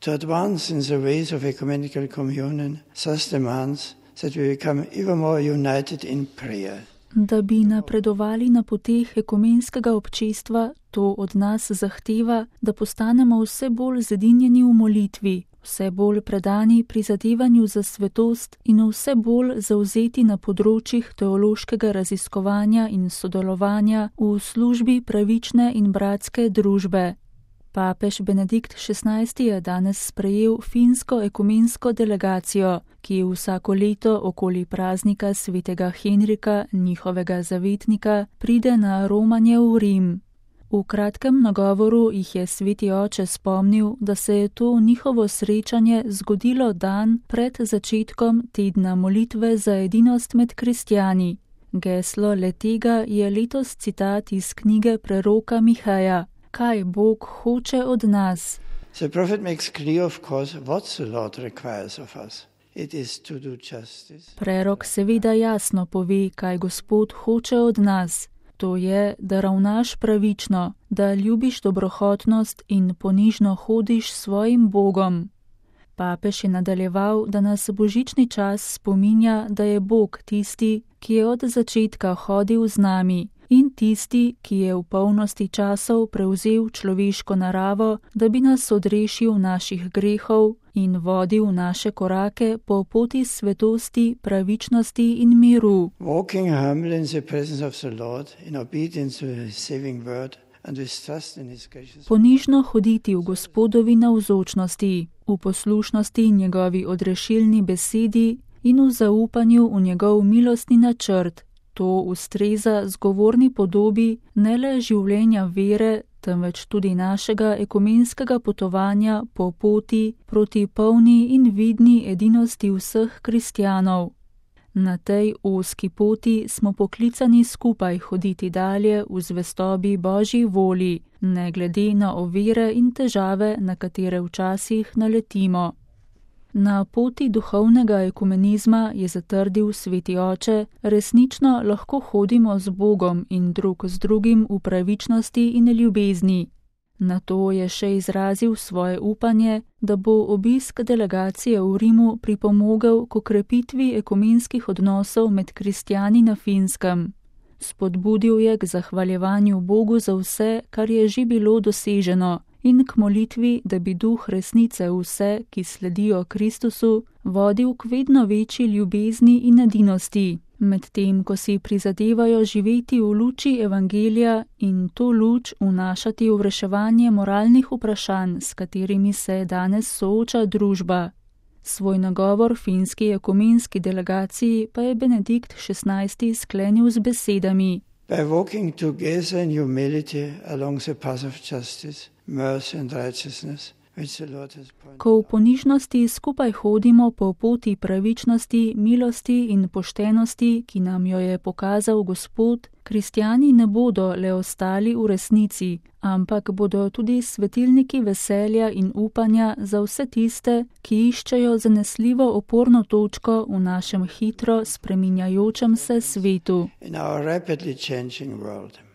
To advance in the ways of ecumenical communion thus demands that we become ever more united in prayer. Da bi napredovali na poteh ekumenskega občestva, to od nas zahteva, da postanemo vse bolj zedinjeni v molitvi, vse bolj predani prizadevanju za svetost in vse bolj zavzeti na področjih teološkega raziskovanja in sodelovanja v službi pravične in bratske družbe. Papež Benedikt XVI je danes sprejel finsko ekumensko delegacijo, ki vsako leto okoli praznika svetega Henrika, njihovega zavetnika, pride na romanje v Rim. V kratkem nagovoru jih je sveti oče spomnil, da se je to njihovo srečanje zgodilo dan pred začetkom tedna molitve za edinost med kristjani. Geslo le-tega je letos citat iz knjige preroka Mihaja. Kaj Bog hoče od nas? The prophet makes clear, of course, what the Lord requires of us. It is to do justice. Prerok seveda jasno pove, kaj Gospod hoče od nas. To je, da ravnaš pravično, da ljubiš dobrohotnost in ponižno hodiš s svojim Bogom. Papež je nadaljeval, da nas božični čas spominja, da je Bog tisti, ki je od začetka hodil z nami, in tisti, ki je v polnosti časov prevzel človeško naravo, da bi nas odrešil naših grehov in vodil naše korake po poti svetosti, pravičnosti in miru. Walking humbly in the presence of the Lord, in obedience to his saving word and with trust in his gracious. Ponižno hoditi v Gospodovi navzočnosti, v poslušnosti njegovi odrešilni besedi in v zaupanju v njegov milostni načrt. To ustreza zgovorni podobi ne le življenja vere, temveč tudi našega ekumenskega potovanja po poti proti polni in vidni edinosti vseh kristjanov. Na tej ozki poti smo poklicani skupaj hoditi dalje v zvestobi Božji volji, ne glede na ovire in težave, na katere včasih naletimo. Na poti duhovnega ekumenizma, je zatrdil sveti oče, resnično lahko hodimo z Bogom in drug z drugim v pravičnosti in ljubezni. Na to je še izrazil svoje upanje, da bo obisk delegacije v Rimu pripomogel k okrepitvi ekumenskih odnosov med kristjani na Finskem. Spodbudil je k zahvaljevanju Bogu za vse, kar je že bilo doseženo, in k molitvi, da bi duh resnice vse, ki sledijo Kristusu, vodil k vedno večji ljubezni in edinosti, medtem ko si prizadevajo živeti v luči evangelija in to luč vnašati v reševanje moralnih vprašanj, s katerimi se danes sooča družba. Svoj nagovor finski ekumenski delegaciji pa je Benedikt XVI sklenil z besedami: By walking together in humility along the path of justice, mercy and righteousness, which the Lord has pointed out. Ko v ponižnosti skupaj hodimo po poti pravičnosti, milosti in poštenosti, ki nam jo je pokazal Gospod, kristjani ne bodo le ostali v resnici, ampak bodo tudi svetilniki veselja in upanja za vse tiste, ki iščejo zanesljivo oporno točko v našem hitro spreminjajočem se svetu. In our rapidly changing world.